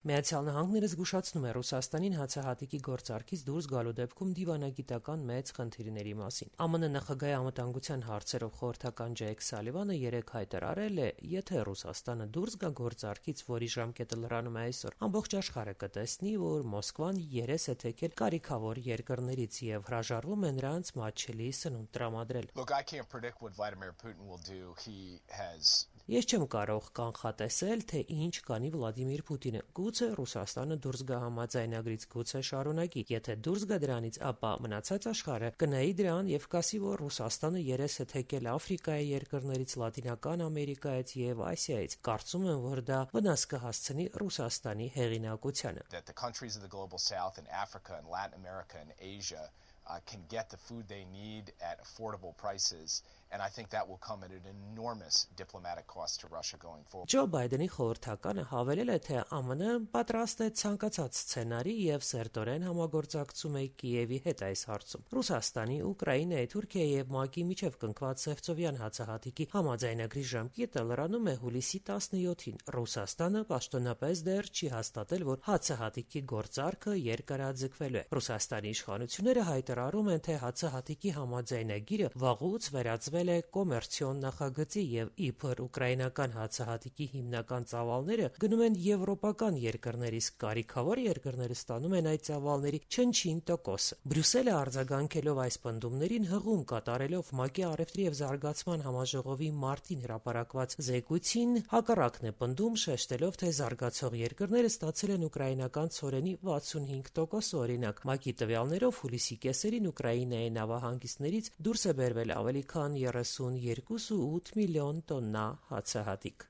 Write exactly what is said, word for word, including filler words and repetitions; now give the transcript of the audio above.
Միացյալ Նահանգները զգուշացնում է Ռուսաստանին հացահատիկի գործարքից դուրս գալու դեպքում դիվանագիտական մեծ խնդիրների մասին։ ԱՄՆ նախագահի անվտանգության հարցերով խորհրդական Ջեյք Սալիվանը երեկ հայտարարել է, եթե Ռուսաստանը դուրս գա գործարքից, որի ժամկետը լրանում է այսօր, ամբողջ աշխարհը կտեսնի, որ Մոսկվան երես է թեքել կարիքավոր երկրներից եւ հրաժարվում է նրանց մատչելի սնունդ տրամադրել։ Ես չեմ կարող կանխատեսել, թե ինչ կանի Վլադիմիր Պուտինը։ Գուցե Ռուսաստանը դուրս գա համաձայնագրից, գուցե շարունակի։ Եթե դուրս գա դրանից, ապա մնացած աշխարհը կնայի դրան եւ կասի, որ Ռուսաստանը երես է թեքել Աֆրիկայի երկրներից, Լատինական Ամերիկայից եւ Ասիայից։ Կարծում եմ, որ դա վնաս կհասցնի Ռուսաստանի հեղինակությանը։ Uh, can get the food they need at affordable prices, and I think that will come at an enormous diplomatic cost to Russia going forward. Ջո Բայդենի խորհրդականը հավելել է, թե ԱՄՆ պատրաստ է ցանկացած սցենարի եւ սերտորեն համագործակցում է Կիևի հետ այս հարցում։ Ռուսաստանի, Ուկրաինայի, Թուրքիայի եւ ՄԱԿ-ի միջև կնքված Սևծովյան հացահատիկի համաձայնագրի ժամկետը լրանում է հուլիսի տասնյոթին։ Ռուսաստանը պաշտոնապես դեռ չի հաստատել, որ հացահատիկի գործարքը երկարաձգվելու է։ Ռուսաստանի իշխանությունները հայտարարում են, թե հացահատիկի համաձայնագիրը վաղուց վերածվել է կոմերցիոն նախագծի եւ իբր ուկրաինական հացահատիկի հիմնական ծավալները գնում են եվրոպական երկրներ, իսկ կարիքավոր երկրները ստանում են այդ ծավալների չնչին տոկոսը։ Բրյուսելը արձագանքելով այս պնդումներին հղում կատարելով ՄԱԿ-ի առևտրի եւ զարգացման համաժողովի մարտին հրապարակված զեկույցին հակառակն է պնդում, շեշտելով, թե զարգացող երկրները ստացել են ուկրաինական ցորենի վաթսունհինգ տոկոս օրինակ։ ՄԱԿ-ի տվյալներով հուլիսի կեսերին Ուկրաինայի նավահանգիստներից դուրս է բերվել ավելի քան երեսունյոթ կոմա ութ միլիոն տոննա հացահատիկ։